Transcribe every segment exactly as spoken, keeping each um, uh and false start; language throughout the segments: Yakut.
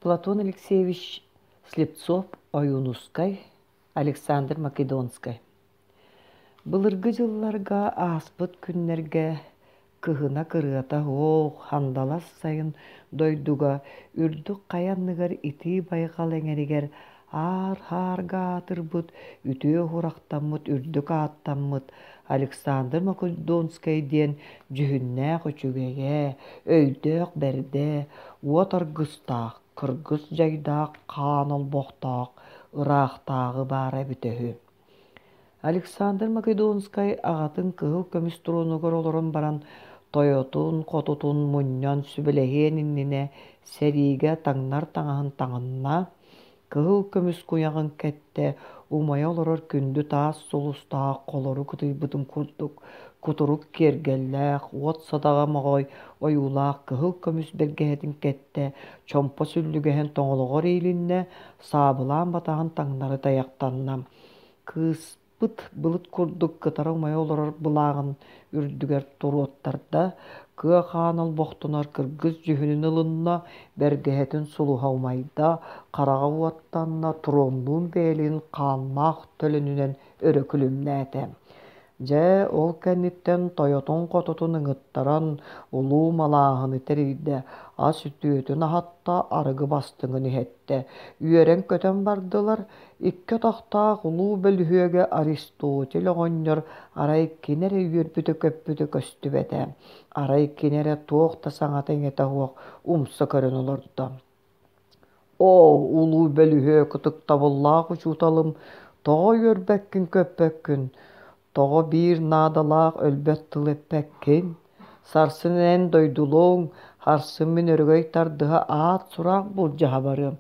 Платон Алексеевич Слепцов Ойуунускай, Александр Македонскай. Былыргы дьылларга ааспыт күннэргэ кыһына кырыата суох хандалас сайын дойдуга үрдүк хайа анныгар итии байҕал эҥэригэр аар-хаарга аатырбыт, үтүө уһурахтаммыт үрдүк ааттаммыт Александр Македонскай диэн дьүһүннээх үчүгэйэ, өйдөөх бэрдэ, уот аргыстаах, кыргыс дьайдаах хаан олбохтоох ыраахтааҕы баара эбитэ үһү. Александр Македонскай аҕатын кыһыл көмүс тронугар олорон баран тойотун, хотутун мунньан сүбэлэһиэн иннинэ сэриигэ таҥнар таҥаһын таҥынна, кыһыл көмүс куйаҕын кэттэ, умайа олорор күндү таас сулустаах холору кытыйбытын курдук кутурук киэргэллээх, уот садаҕа моҕой ойуулаах кыһыл көмүс бэргэһэтин кэттэ, чомпо сүллүгэһин тоҥолоҕор иилиннэ, саабылаан батаһын таҥнары тайахтанна. Кыыспыт былыт курдук кытара умайа олорор былааҕын үрдүгэр туруоттарда, кыа хаан олбохтонор кыргыс дьүһүнүн ылынна, бэргэһэтин сулуһа умайда, хараҕа уоттанна, троннуун бэйэлин хааннаах төлөнүнэн өрө күлүмнээтэ. Дьэ, ол кэнниттэн тойотун-хотутун ыҥыттаран улуу малааһыны тэрийдэ, ас үтүөтүн аһатта, арыгы бастыҥын иһэттэ. Үөрэн-көтөн бардылар. Икки атахтаах улуу бөлүһүөгэ Аристотель оҕонньор арай кини эрэ үөрбүтэ-көппүтэ көстүбэтэ. Арай кини эрэ туох да саҥата-иҥэтэ суох умса көрөн олордо. Оо, улуу бөлүһүөк ытыктабыллаах учууталым, тоҕо үөрбэккин-көппөккүн? Тоҕо биир наадалаах өлбөт тыл эппэккин? Сарсын эн дойдулуоҥ, харсын мин өрөгөй тардыһа аат-сураах былдьаһа барыам.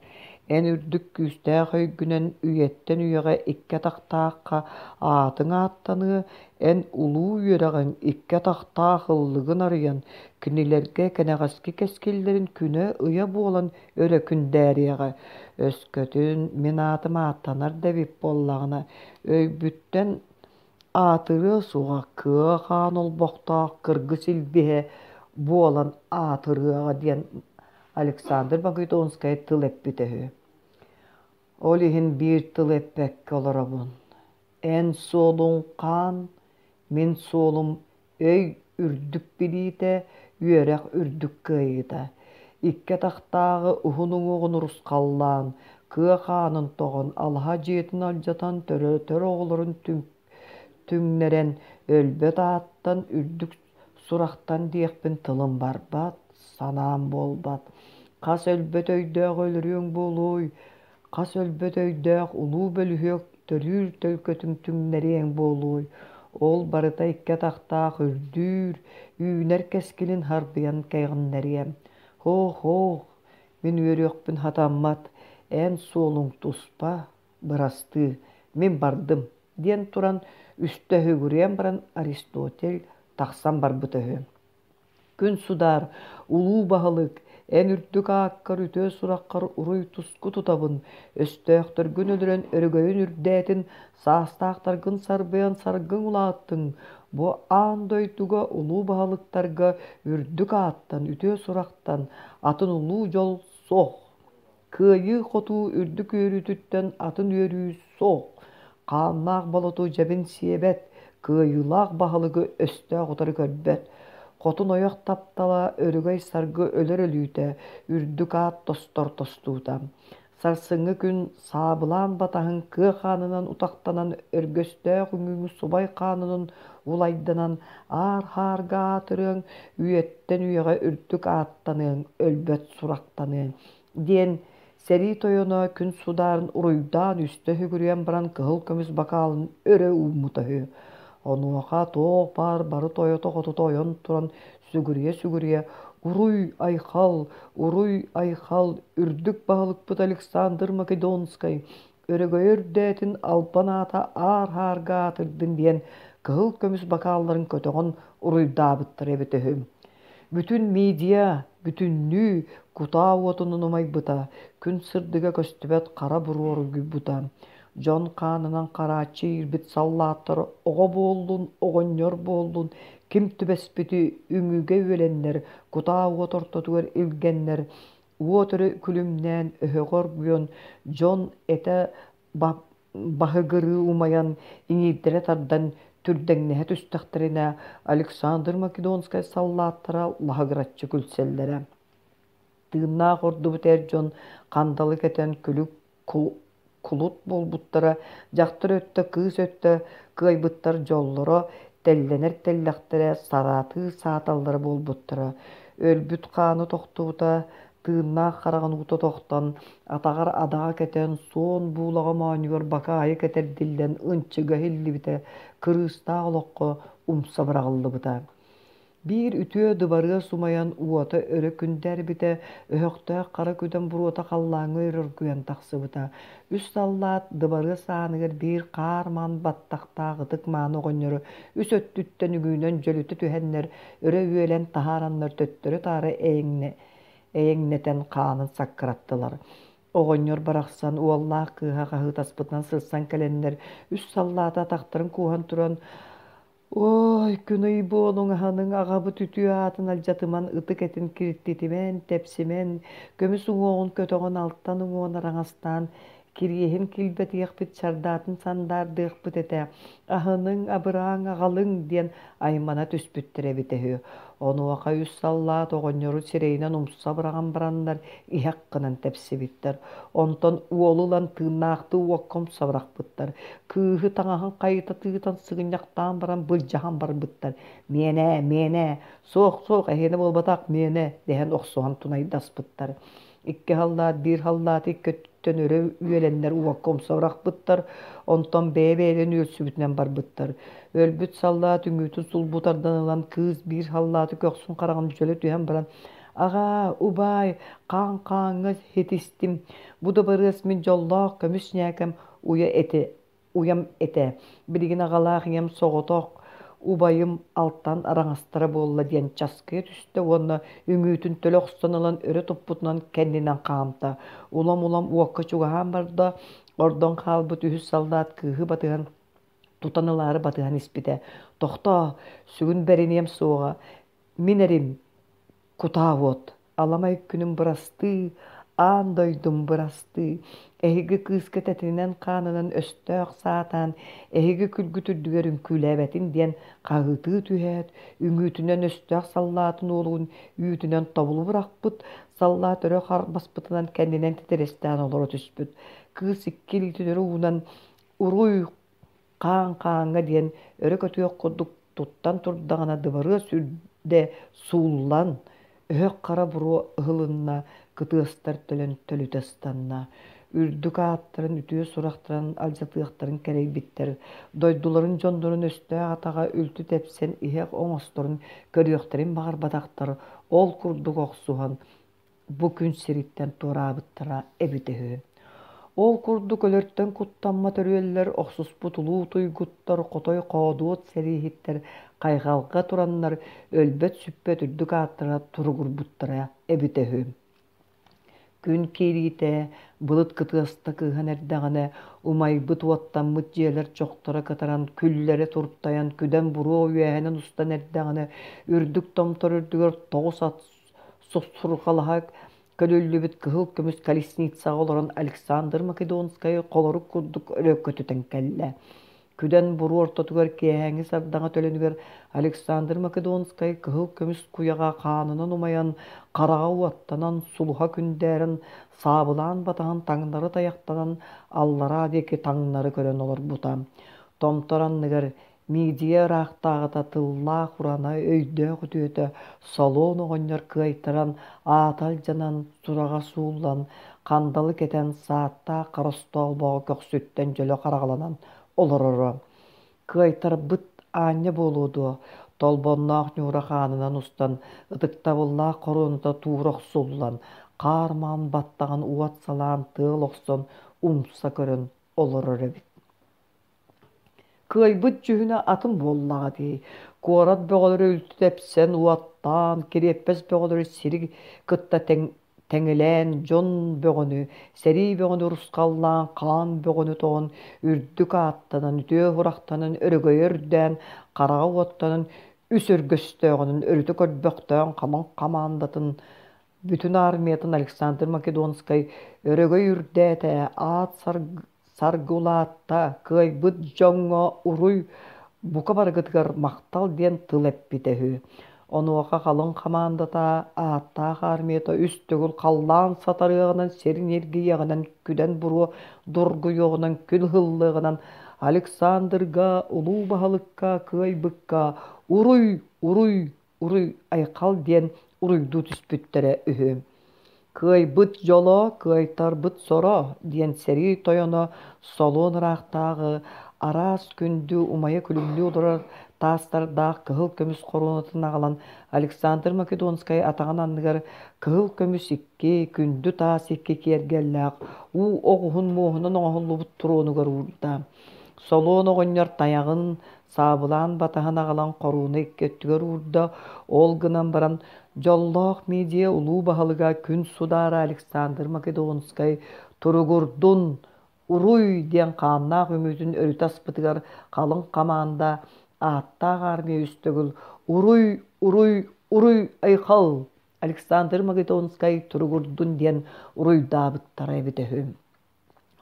Эн үрдүк күүстээх өйгүнэн үйэттэн үйэҕэ икки атахтаахха аатыҥ ааттаныа, эн улуу үөрэҕиҥ икки атахтаах ыллыгын арыйан, кинилэргэ кэнэҕэски кэскиллэрин күнэ-ыйа буолан өрө күндээриэҕэ. Өскөтүн мин аатым ааттанар да эбит буоллаҕына, өйбүттэн аатырыа суоҕа кыа хаан олбохтоох кыргыс илбиһэ буолан аатырыаҕа диэн Александр Македонскай тыл эппитэ үһү. Ол иһин биир тыл эппэккэ олоробун. Эн суолуҥ хаан, мин суолум өй үрдүк билиитэ, үөрэх үрдүк кыайыыта. Икки атахтааҕы уһун уҥуоҕун урусхаллаан, кыа хаанын тоҕон, алаһа дьиэтин алдьатан төрөтөр оҕолорун түҥнэрэн, өлбөт ааттан, үрдүк сурахтан диэхпин тылым барбат, санаам буолбат. Хас өлбөт өйдөөх өлөрүөҥ буолуой, хас өлбөт өйдөөх улуу бөлүһүөк төрүүр төлкөтүн түҥнэриэҥ буолуой, ол барыта икки атахтаах үрдүүр, үүнэр кэскилин харбыйан кэҕиннэриэм. Һоох-һоох, мин үөрүөхпүн хатаммат, эн суолуҥ туспа, бырастыы, мин бардым, диэн туран үстэ үһүгүрүйэн баран Аристотель тахсан барбыта үһү. Күн судаар, улуу баһылык, эн үрдүк ааккар үтүө сураххар уруй-туску тутабын, өстөөхтөргүн өлөрөн өрөгөйүн үрдээтин, саастаахтаргын сарбыйан саргыҥ улааттыҥ, бу аан дойдуга улуу баһылыктарга үрдүк ааттан, үтүө сурахтан атын улуу дьол суох. Кыайыы-хотуу үрдүк үөрүүтүттэн атын үөрүү суох. Хааннаах болоту дьэбин сиэбэт, кыайыылаах баһылыгы өстөөх утары көрбөт. Хотун ойох таптала, өрөгөй саргы өлөр өлүүтэ, үрдүк аат тостор тостуута. Сарсыҥҥы күн саабылаан батаһын кыа хаанынан утахтанан, өргөстөөх үҥүүҥү субай хаанынан улайданан, аар-хаарга аатырыаҥ, үйэттэн үйэҕэ үрдүк ааттаныаҥ, өлбөт сурахтаныаҥ диэн сэрии тойоно күн судаарын уруйдаан үстэ үһүгүрүйэн баран кыһыл көмүс бакаалын өрө ууммута үһү. Онуоха туох баар бары тойото-хотута ойон туран сүгүрүйэ-сүгүрүйэ «Уруй-айхал! Уруй-айхал! Үрдүк баһылыкпыт Александр Македонскай өрөгөйө үрдээтин, албан аата аар-аарга аатырдын» диэн кыһыл көмүс бакаалларын көтөҕөн уруйдаабыттара эбитэ үһү. Бүтүн медиа бүтүннүү кутаа уотунан умайбыта, күн сырдыга көстүбэт хара буруо оргуйбута. Дьон хаанынан харааччы иирбит саллааттар оҕо буоллун, оҕонньор буоллун, ким түбэспити үҥүүгэ үөлэннэр, кутаа уот ортотугар илгэннэр, Уот өрө күлүмнээн, өһөҕө оргуйан, дьон этэ баһыгырыы умайан, иҥиирдэрэ тардан түрдэҥнэһэ түстэхтэринэ, Александр Македонскай саллааттара лаһыгыраччы күлсэллэрэ. Тыыннаах ордубут эр дьон хандалы кэтэн күлүк кулут буолбуттара, дьахтар өттө, кыыс өттө кыайбыттар дьоллоро, тэллэнэр тэллэхтэрэ, сараатыы сааталлара буолбуттара. Өлбүт хааны тохтубута, тыыннаах хараҕын уута тохтон, атаҕар адаҕа кэтэн, суон буулаҕа моонньугар бакаайы кэтэрдиллэн ынчыга иһиллибитэ, кырыыстаах олоххо умса быраҕыллыбыта. Биир үтүө дыбарыас умайан уота өрө күндээрбитэ, өһөхтөөх хара күдэн буруота халлааҥҥа өрө оргуйан тахсыбыта. Үс саллаат дыбарыас ааныгар биир хаар маан баттахтаах ытык мааны оҕонньору үс өттүттэн үҥүүнэн дьөлүтэ түһэннэр, өрө үөлэн таһаараннар төттөрү-таары эйэҥнэ эйэҥнэтэн хаанын саккыраттылар. Оҕонньор барахсан уоллаах кыыһа хаһыытаспытынан сырсан кэлэннэр, үс саллааты атахтарын кууһан туран «Ой, күн-ый буолуҥ, аһаныҥ, аҕабыт үтүө аатын алдьатыман, ытык этин киртитимэн, тэпсимэн, көмүс уҥуоҕун көтөҕөн, алтан уҥуоҕун араҥастаан, кириэһин килбэтиэхпит, чардаатын сандаардыахпыт этэ, аһыныҥ, абырааҥ, аҕалыҥ» диэн аймана түспүттэр эбитэ үһү. Онуоха үс саллаат оҕонньору сирэйинэн умса быраҕан бараннар иһэх гынан тэпсибиттэр. Онтон уолу ылан тыыннаахтыы уокка умса бырахпыттар. Кыыһы таҥаһын хайыта тыытан сыгынньахтаан баран былдьаһан барбыттар. «Миэнэ, миэнэ, суох-суох, эһиэнэ буолбатах, миэнэ» дэһэн охсуһан тунайдаспыттар. Икки халлаат биир халлааты икки өттүттэн өрө үөлэннэр уокка умса бырахпыттар, онтон бэйэ-бэйэлэрин үөрсүбүтүнэн барбыттар. Өлбүт саллаат үҥүүтүн сулбу тардан ылан кыыс биир халлааты көхсүн хараҕын дьөлө түһэн баран «Аҕаа, убаай, хаан хааҥҥа хитистим, бу дыбарыас мин дьоллоох көмүс ньээкэм уйа этэ уйам этэ, билигин аҕалаах ийэм соҕотох, убайым алтан араҥастара буолла» диэн часкыйа түстэ уонна үҥүүтүн төлө охсон ылан өрө туппутунан кэннинэн хаамта. Улам-улам уокка чугаһаан барда, ордон хаалбыт үһүс саллаат кыыһы батыһан тутан ылаары батыһан испитэ. «Тохтоо, сүгүн бэриниэм суоҕа, мин эрим, кутаа уот, аламай күнүм бырастыы, аан дойдум бырастыы, эһиги кыыска тэтинэн-хаанынан өстөөх саатаан, эһиги күлгүт үрдүгэр үҥкүүлээбэтин» диэн хаһыытыы түһээт, үҥүүтүнэн өстөөх саллаатын уолугун үүтүнэн тобулу бырахпыт, саллаат өрө харбаспытынан кэннинэн титирэстээн олоро түспүт. Кыыс икки илиитин өрө уунан «Уруй, хаан хааҥҥа» диэн өрө көтүөх курдук туттан турдаҕына дыбарыас үрдэ сууллан, өһөх хара буруо ыһылынна, кытыастар төлөн төлүтэ ыстанна. Үрдүк ааттарын, үтүө сурахтарын алдьатыахтарын кэрэйбиттэр, дойдуларын дьоннорун өстөөх атаҕа үлтү тэпсэн иһэх оҥосторун көрүөхтэрин баҕарбатахтар, ол курдук охсуһан бу күн сириттэн туораабыттара эбитэ үһү. Ол курдук өлөртөн куттаммат өрүөллэр, охсуспут улуу туйгуттар, хотой хоодуот сэрииһиттэр хайҕалга тураннар өлбөт-сүппэт үрдүк ааттара туругурбуттара эбитэ үһү. Күн киириитэ былыт кытыаста кыыһан эрдэҕинэ, умайбыт уоттаммыт дьиэлэр чохторо кытаран, күллэрэ туртайан, күдэн буруо үөһэнэн устан эрдэҕинэ, үрдүк томтор үрдүгэр тоҕус ат сусурҕалаһа көлүллүбүт кыһыл көмүс колесницаҕа олорон Александр Македонскай холорук курдук өрө көтүтэн кэллэ. Күдэн буруо ортотугар киэһээҥҥи сардаҥа төлөнүгэр Александр Македонскай кыһыл көмүс куйаҕа хаанынан умайан, хараҕа уоттанан, сулуһа күндээрэн, саабылаан батаһан таҥнары тайахтанан аллараа диэки таҥнары көрөн олорбута. Томтор анныгар Мидия ыраахтааҕыта тыллаах урана, өйдөөх үтүөтэ Солуон оҕонньор кыайтаран, аата алдьанан, сураҕа сууллан, хандалы кэтэн, сааттаах хара остоолбоҕо көхсүттэн дьөлө хараҕаланан олороро. Кыайтарбыт аанньа буолуо дуо, толбонноох ньуура хаанынан устан, ытыктабыллаах хоруоната туура охсуллан, хаар маҥан баттаҕын уот салаан тыал охсон умса көрөн олорор эбит. Кыайбыт дьүһүнэ атын буоллаҕа дии. Куорат бөҕөлөрө үлтү тэпсэн, уоттаан, кириэппэс бөҕөлөрү сири кытта тэҥ тэҥилээн, дьон бөҕөнү, сэрии бөҕөнү урусхаллаан, хаан бөҕөнү тоҕон, үрдүк ааттанан, үтүө сурахтанан, өрөгөйө үрдээн, хараҕа уоттанан, үс өргөстөөҕүнэн өрүтэ көрбөхтөөн хамаҥ хамаандатын Бүтүн армиятын Александр Македонскай өрөгөй үрдээтэ, аат саргы улаатта, кыайбыт дьоҥҥо уруй, бука барыгытыгар махтал диэн тыл эппитэ үһү. Онуоха халыҥ хамаандата ааттаах армията үс төгүл халлаан сатарыаҕынан, сир ньиргийиэҕинэн, күдэн буруо дургуйуоҕунан, күн ыһыллыаҕынан Александрга, улуу баһылыкка, кыайбыкка уруй, уруй, уруй айхал диэн уруйдуу түспүттэрэ үһү. Кыайбыт дьоло, кыайтарбыт соро диэн сэрии тойоно Солуон ыраахтааҕы араас күндү умайа күлүмнүү олорор таастардаах кыһыл көмүс хоруонатын аҕалан Александр Македонскай атаҕын анныгар кыһыл көмүс икки, күндү таас икки киэргэллээх уу оҕуһун муоһунан оҥоһуллубут тронугар уурда. Солуон оҕонньор тайаҕын саабылаан батаһын аҕалан хоруона икки өттүгэр уурда, ол гынан баран дьоллоох Мидия улуу баһылыга күн судаара Александр Македонскай туругурдун, уруй диэн хааннаах үҥүүтүн өрүтэ аспытыгар халыҥ хамаанда ааттаах армия үс төгүл уруй, уруй, уруй айхал Александр Македонскай туругурдун диэн уруйдаабыттара эбитэ үһү.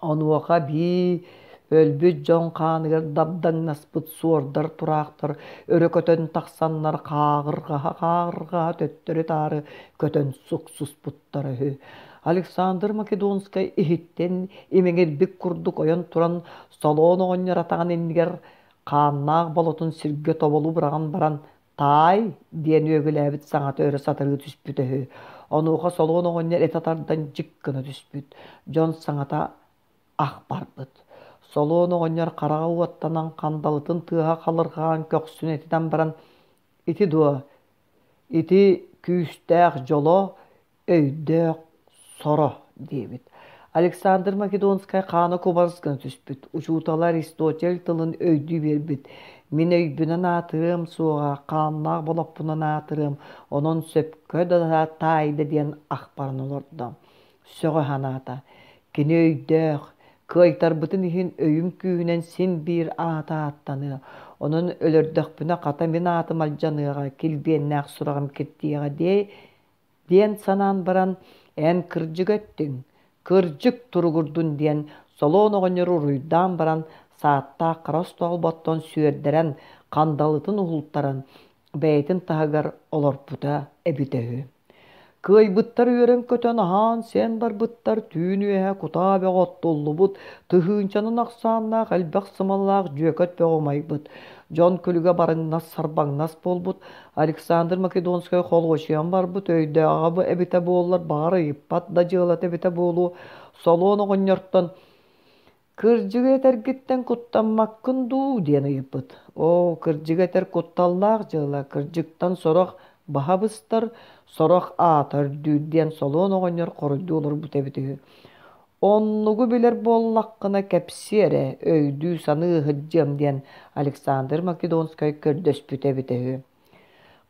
Онуоха бии өлбүт дьон хааныгар дабдаҥнаспыт суордар тураахтар өрө көтөн тахсаннар хааҕырҕаһа-хааҕырҕаһа төттөрү-таары көтөн суксуспуттара үһү. Александр Македонскай иһиттэн имэҥирбит курдук ойон туран Солоон оҕонньор атаҕын иннигэр хааннаах болотун сиргэ тоболу быраҕан баран «Таай» диэн үөгүлээбит саҥата өрө сатарыы түспүтэ үһү. Онуоха Солуон оҕонньор этэ тардан дьик гына түспүт. Дьон саҥата ах барбыт. Солуон оҕонньор хараҕа уоттанан хандалытын тыаһа халырҕаан көхсүн этитэн баран «Ити дуо? Ити күүстээх дьоло, өйдөөх соро» диэбит. Александр Македонскай хаана кубарыс гына түспүт. Учуутала Аристотель тылын өйдүү биэрбит. Мин өйбүнэн аатырыам суоҕа, хааннаах болоппунан аатырыам, онон сөпкө да таайда диэн ахпаран олордо. Сөҕө санаата. Кини өйдөөх, кыайтарбытын иһин өйүм күүһүнэн син биир аата ааттаныа. Онон өлөрдөхпүнэ хата мин аатым алдьаныаҕа, килбиэннээх сураҕым киртийиэҕэ диэ диэн санаан баран, эн кырдьык эттиҥ, кырдьык туругурдун диэн Солуон оҕонньору уруйдаан баран, сааттаах хара остоолботтон сүөрдэрэн, хандалытын уһултаран, бэйэтин таһыгар олорпута эбитэ үһү. Кыайбыттар үөрэн-көтөн аһаан-сиэн барбыттар, түүн үөһэ кутаа бөҕө оттуллубут, тыһыынчанан ахсааннаах элбэх сымалаах дьүөкэт бөҕө умайбыт. Дьон күлүгэ барыҥнас-сарбаҥнас буолбут. Александр Македонскай холуочуйан барбыт, өйдөөҕө эбитэ буоллар, баҕар ыйыппат да дьыалата эбитэ буолуо. Солуон оҕонньортон «Кырдьыгы этэргиттэн куттаммаккын дуу?» диэн ыйыппыт. «Оо, кырдьыгы этэр кутталлаах дьыала, кырдьыктан сорох баһа быстар, сорох аата үрдүүр» диэн Солуон оҕонньор хоруйдуу олорбут эбит үһү. «Оннугу билэр буоллаххына кэпсиэ эрэ, өйдүү-саныы сылдьыам» диэн Александр Македонскай көрдөспүтэ эбитэ үһү.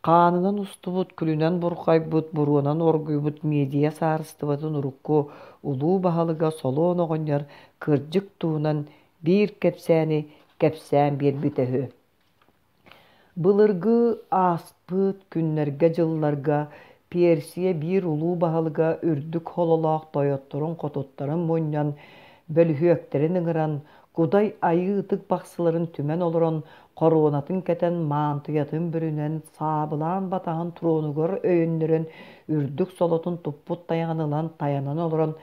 Хаанынан устубут, күлүнэн бурҕайбыт, буруонан оргуйбут Мидия саарыстыбатын урукку улуу баһылыга Солуон оҕонньор кырдьык туһунан биир кэпсээни кэпсээн биэрбитэ үһү. Былыргы ааспыт күннэргэ-дьылларга Персия биир улуу баһылыга үрдүк хололоох тойотторун-хотуттарын мунньан, бөлүһүөктэрин ыҥыран, Кудай Айыы ытык бахсыларын түмэн олорон, хоруонатын кэтэн, маантыйатын бүрүнэн, саабылаан батаһын тронугар өйөннөрөн, үрдүк солотун туппут тайаҕын ылан тайанан олорон,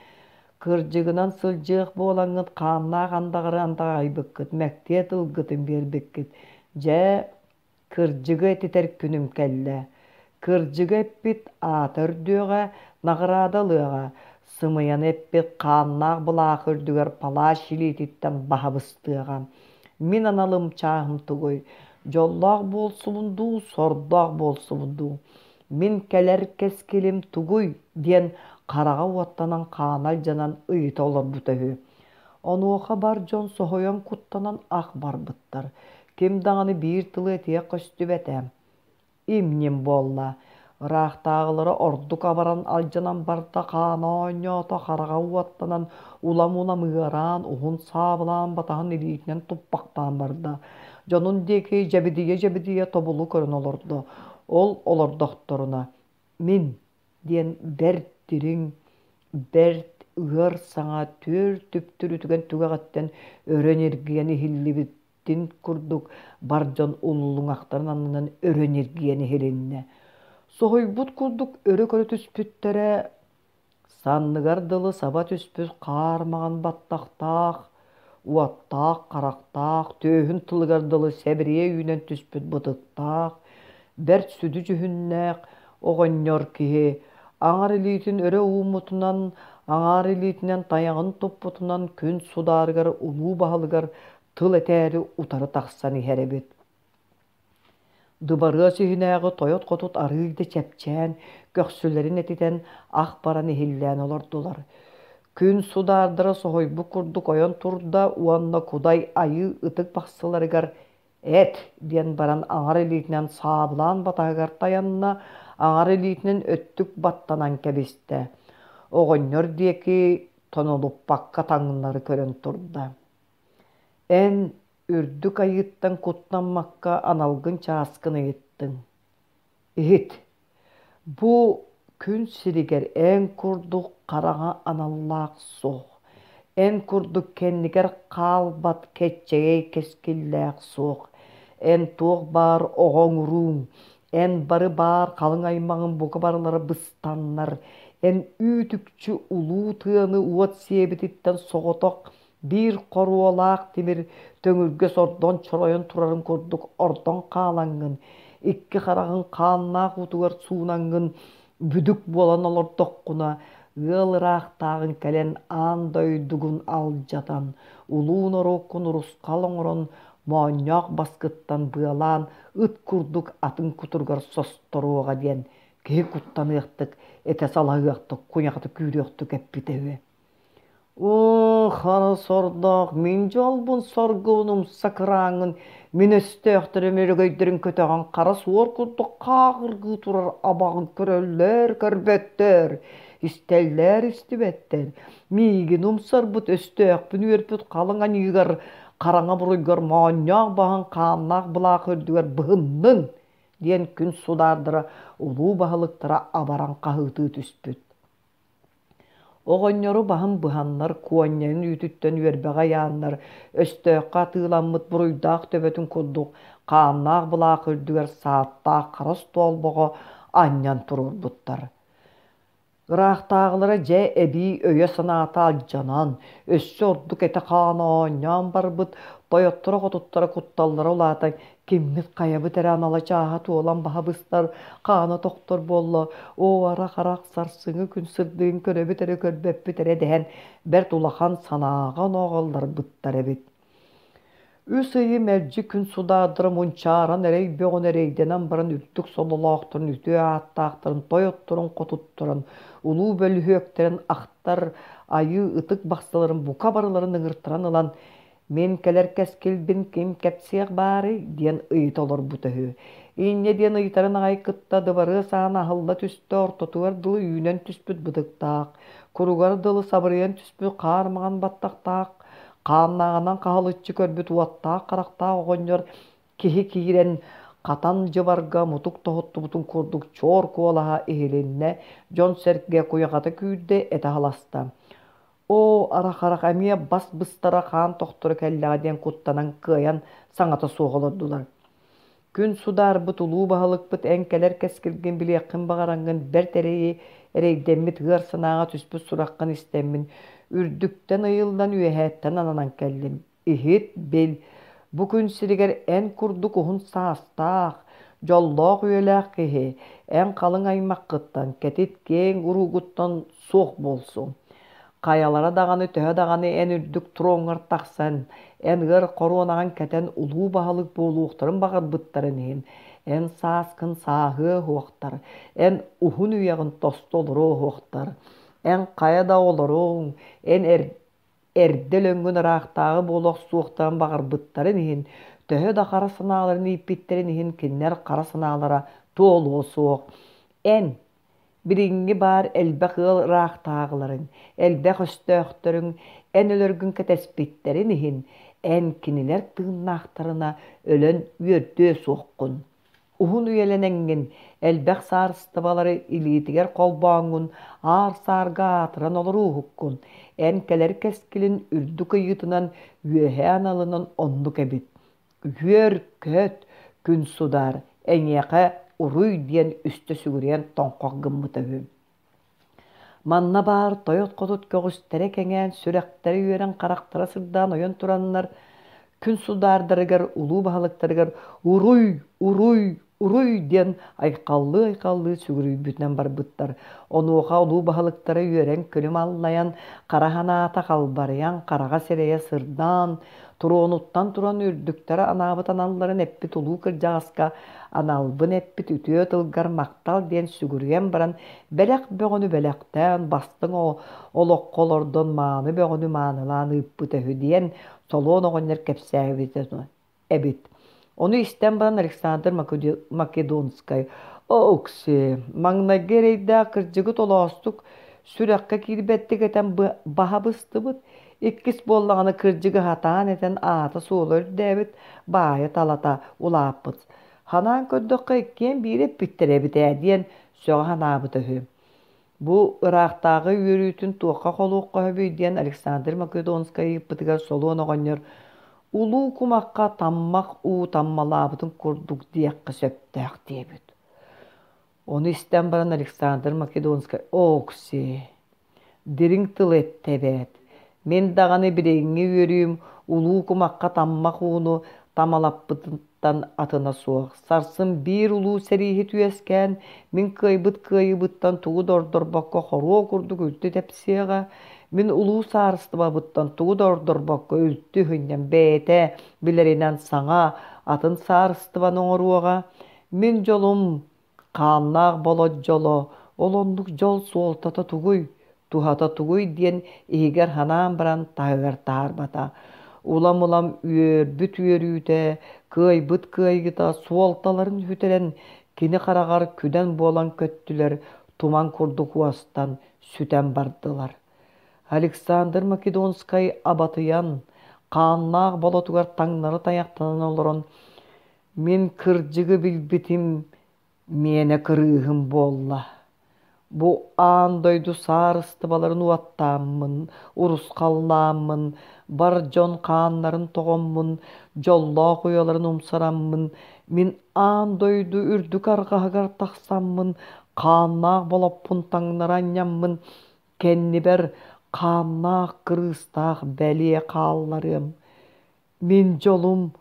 «Кырдьыгынан сылдьыах буолаҥҥыт хааннаах андаҕары андаҕайбыккыт, мэктиэ тылгытын биэрбиккит. Дьэ, кырдьыгы этитэр күнүм кэллэ. Кырдьыгы эппит аата үрдүөҕэ, наҕараада ылыаҕа, сымыйаны эппит хааннаах былаах үрдүгэр палач илиититтэн баһа быстыаҕа. Мин аналым чааһым тугуй? Дьоллоох буолсубун дуу, сордоох буолсубун дуу? Мин кэлэр кэскилим тугуй?» диэн хараҕа уоттанан хаана алдьанан ыйыта олорбута үһү. Онуоха бар дьон соһуйан куттанан ах барбыттар. Ким даҕаны биир тылы этиэх көстүбэтэ. Им-ньим буолла. Ыраахтааҕылара ордук абаран алдьанан барда, хаана оонньоото, хараҕа уоттанан, улам-улам ыараан, уһун саабылаан батаһын илиитинэн туппахтаан барда. Дьонун диэки дьэбидийэ-дьэбидийэ тобулу көрөн олордо. Ол олордохторуна «Мин» диэн бэрт дириҥ, бэрт ыар саҥа түөрт түптүрүтүгэн түгэҕиттэн өрө ньиргийэн иһиллибитин курдук бар дьон уллуҥахтарын аннынан өрө ньиргийэн иһилиннэ. Соһуйбут курдук өрө көрө түспүттэрэ, санныгар дылы саба түспүт хаар маҥан баттахтаах, уоттаах харахтаах, түөһүн тылыгар дылы сэбириэ үүнэн түспүт бытыктаах, бэрт сүдү дьүһүннээх оҕонньор киһи аҥар илиитин өрө ууммутунан, аҥаар илиитинэн тайаҕын туппутунан күн судаарыгар улуу баһылыгар тыл этээри утары тахсан иһэр эбит. Дыбарыас иһинээҕи тойот-хотут арыый да чэпчээн, көхсүлэрин этитэн, ах баран иһиллээн олордулар. Күн судаардара соһуйбут курдук ойон турда уонна Кудай Айыы ытык бахсыларыгар «Эт!» диэн баран аҥар илиитинэн саабылаан батаһыгар тайанна, аҥар илиитинэн өттүк баттанан кэбистэ. Оҕонньор диэки тонолуппакка таҥнары көрөн турда. «Эн үрдүк айыыттан куттаммакка аналгын чааскын ыйыттыҥ. Иһит, бу күн сиригэр эн курдук хараҥа аналлаах суох, эн курдук кэннигэр хаалбат кэччэгэй кэскиллээх суох, эн туох баар оҕоҥ-урууҥ, эн бары баар халыҥ аймаҕыҥ бука барылара быстаннар, эн үүт-үкчү улуу тыаны уот сиэбититтэн соҕотох биир хоруолаах тимир төҥүргэ сордон чоройон турарын курдук ордон хаалаҥҥын, икки хараҕыҥ хааннаах уутугар суунаҥҥын бүдүк буолан олордоххуна, ыал ыраахтааҕыҥ кэлэн аан дойдугун алдьатан, улуу норуоккун урусхал оҥорон, моонньоох баскыттан быалаан ыт курдук атын кутуругар состоруоҕа диэн киһи куттаныахтык, этэ салаһыахтык, куйахата күүрүөхтүк эппитэ үһү. Оо, хара сордоох, мин дьолбун соргубун умса кырааҥҥын, мин өстөөхтөрүм өрөгөйдөрүн көтөҕөн хара суор курдук хааҕыргыы турар абаҕын көрөллөр көрбөттөр, истэллэр истибэттэр. Миигин умсарбыт өстөөхпүн үөрпүт халыҥ аньыыгар, хараҥа буруйгар моонньоох баһын хааннаах былаах үрдүгэр быһынныҥ диэн күн судаардара улуу баһылыктара абаран хаһыытыы түспүт. Оҕонньору баһын быһаннар, куонньайын үүтүттэн үөрбэҕэ ыйааннар, өстөөххө атыыламмыт буруйдаах төбөтүн курдук хааннаах былаах үрдүгэр сааттаах хара остуолбаҕа анньан туруорбуттар. Ыраахтааҕылара дьэ эбии өйө-санаата алдьанан, өссө ордук этэ-хаана оонньоон барбыт, тойотторо-хотуттара кутталлара улаатан, киммит хайабыт эрэ анала чааһа туолан баһа быстар, хаана тохтор буолла, оо арах-арах сарсыҥҥы күн сырдыгын көрөбүт эрэ көрбөппүт эрэ дэһэн бэрт улахан санааҕа онооҕоллорбуттар эбит. Үс ыйы мэлдьи күн судаардара мунчааран эрэй бөҕөнү эрэйдэнэн баран үрдүк сололоохторун, үтүө ааттаахтарын, тойотторун, хотутторун, улуу бөлүһүөктэрин ахтар айыы ытык бахсыларын бука барыларын ыҥыртаран ылан «Мин кэлэр кэскилбин ким кэпсиэх баарый?» диэн ыйыта олорбута үһү. Инньэ диэн ыйытарын аҕай кытта дыбарыас аана аһылла түстэ, ортотугар дылы үүнэн түспүт бытыктаах, куругар дылы сабырыйан түспүт хаар маҥан баттахтаах хааннааҕынан хаһылыччы көрбүт уоттаах харахтаах оҕонньор киһи киирэн хатан дьыбарга мутук тоһуттубутун курдук чуор куолаһа иһилиннэ, дьон-сэргэ куйаҕата күүрдэ, этэ халаста. Оо, арах-арах эмиэ бас быстара хаан тохторо кэллэҕэ диэн куттанан кыайан саҥата суох олордулар. Күн судаарбыт улуу баһылыкпыт эн кэлэр кэскилгин билиэххин баҕараҥҥын бэрт эрэйи эрэйдэммит ыар санааҕа түспүт сураххын истэммин, үрдүктэн ыйыллан үөһээттэн ананан кэллим. Иһит, бил, бу күн сиригэр эн курдук уһун саастаах, дьоллоох үйэлээх киһи эн халыҥ аймаххыттан, кэтит киэҥ уруугуттан суох буолсуҥ. Хайалара даҕаны төһө даҕаны эн үрдүк троҥҥар тахсан, эн ыар хоруонаҕын кэтэн улуу баһылык буолуохтарын баҕарбыттарын иһин, эн сааскын сааһыа уһуохтар, эн уһун үйэҕин тосту олоруо уһуохтар, эн хайа да олоруоҥ, эн эр эрдэ өлөҥҥүн ыраахтааҕы буола охсуохтарын баҕарбыттарын иһин, төһө да хара санааларын ииппиттэрин иһин кинилэр хара санаалара туолуо суох. Эн билиҥҥи баар элбэх ыал ыраахтааҕыларыҥ, элбэх өстөөхтөрүҥ эн өлөргүн кэтэспиттэрин иһин, эн кинилэр тыыннаахтарына өлөн үөрдүө суоххун. Уһун үйэлэнэҥҥин, элбэх саарыстыбалары илиитигэр холбооҥҥун, аар-саарга аатыран олорууһуккун. Эн кэлэр кэскилин үрдүк ыйыытынан, үөһээ аналынан оннук эбит. Үөр-көт, күн судаар, эйиэхэ уруй диэн үстэ сүгүрүйэн тоҥхох гыммыта үһү. Манна баар тойот-хотут көҕүстэрэ кэҥээн, сүрэхтэрэ үөрэн, харахтара сырдаан ойон тураннар, күн судаардарыгар, улуу баһылыктарыгар «Уруй! Уруй! Уруй!» диэн айхаллыы-айхаллыы сүгүрүйбүтүнэн барбыттар. Онуоха улуу баһылыктара үөрэн күлүм аллайан, хара санаата халбарыйан, хараҕа сирэйэ сырдаан, туруонуттан туран үрдүктэрэ анаабыт аналларын эппит улуу кырдьаҕаска аналбын эппит үтүө тылгар махтал диэн сүгүрүйэн баран бэлэх бөҕөнү бэлэхтээн, бастыҥ олоххо олордон мааны бөҕөнү маанылаан ыыппыта үһү диэн Солуон оҕонньор кэпсээбитэ эбит. Ону истэн баран Александр Македонскай «Окси, маҥнайгы эрэйдээх кырдьыгы толоостук сүрэххэ киирбэттик этэн баһа быстыбыт, иккис буоллаҕына кырдьыгы сатаан этэн аата-суола үрдээбит, баайа-талата улааппыт. Санаан көрдөххө иккиэн биири эппиттэр эбит ээ» диэн сөҕө санаабыта үһү. Бу ыраахтааҕы үөрүүтүн туохха холуохха сөбүй диэн Александр Македонскай ыйыппытыгар Солуон оҕонньор улуу кумахха таммах уу таммалаабытын курдук диэххэ сөптөөх диэбит. Ону истэн баран Александр Македонскай «Окси, дириҥ тыл эттэ эбээт. Мин даҕаны билиҥҥи үөрүүм улуу кумахха таммах ууну тамалаппытыттан атына суох. Сарсын биир улуу сэрииһит үөскээн, мин кыайбыт кыайыыбыттан тугу да ордорбокко хоруо курдук үлтү тэпсиэҕэ, мин улуу саарыстыбабыттан тугу да ордорбокко үлтү үһүнньэн бэйэтэ билэринэн саҥа, атын саарыстыбаны оҥоруоҕа. Мин дьолум хааннаах болот дьоло, ол оннук дьол суолтата тугуй, туһата тугуй диэн иһигэр санаан баран таһыгар таһаарбата. Улам-улам үөрбүт үөрүүтэ, кыайбыт кыайыыта суолталарын сүтэрэн, кини хараҕар күдэн буолан көттүлэр, туман курдук уостан, сүтэн бардылар. Александр Македонскай абатыйан, хааннаах болотугар таҥнары тайахтанан олорон, «Мин кырдьыгы билбитим, миэнэ кырыыһым буолла. Бу аан дойду саарыстыбаларын уоттааммын, урусхаллааммын, бар дьон хааннарын тоҕоммун, дьоллоох уйаларын умсараммын, мин аан дойду үрдүк арҕаһыгар тахсаммын, хааннаах болоппун таҥнары анньаммын, кэннибэр хааннаах кырыыстаах бэлиэ хаалларыам. Мин дьолум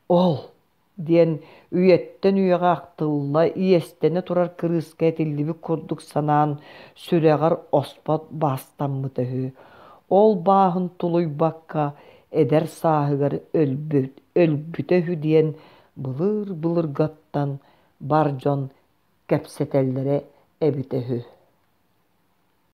ол диэн үйэттэн үйэҕэ ахтылла, иэстэнэ турар кырыыска этиллибит курдук санаан, сүрэҕэр оспот баастаммыта үһү. Ол бааһын тулуйбакка эдэр сааһыгар өлбүт, өлбүтэ үһү диэн былыр-былыргаттан бар дьон кэпсэтэллэрэ эбитэ үһү.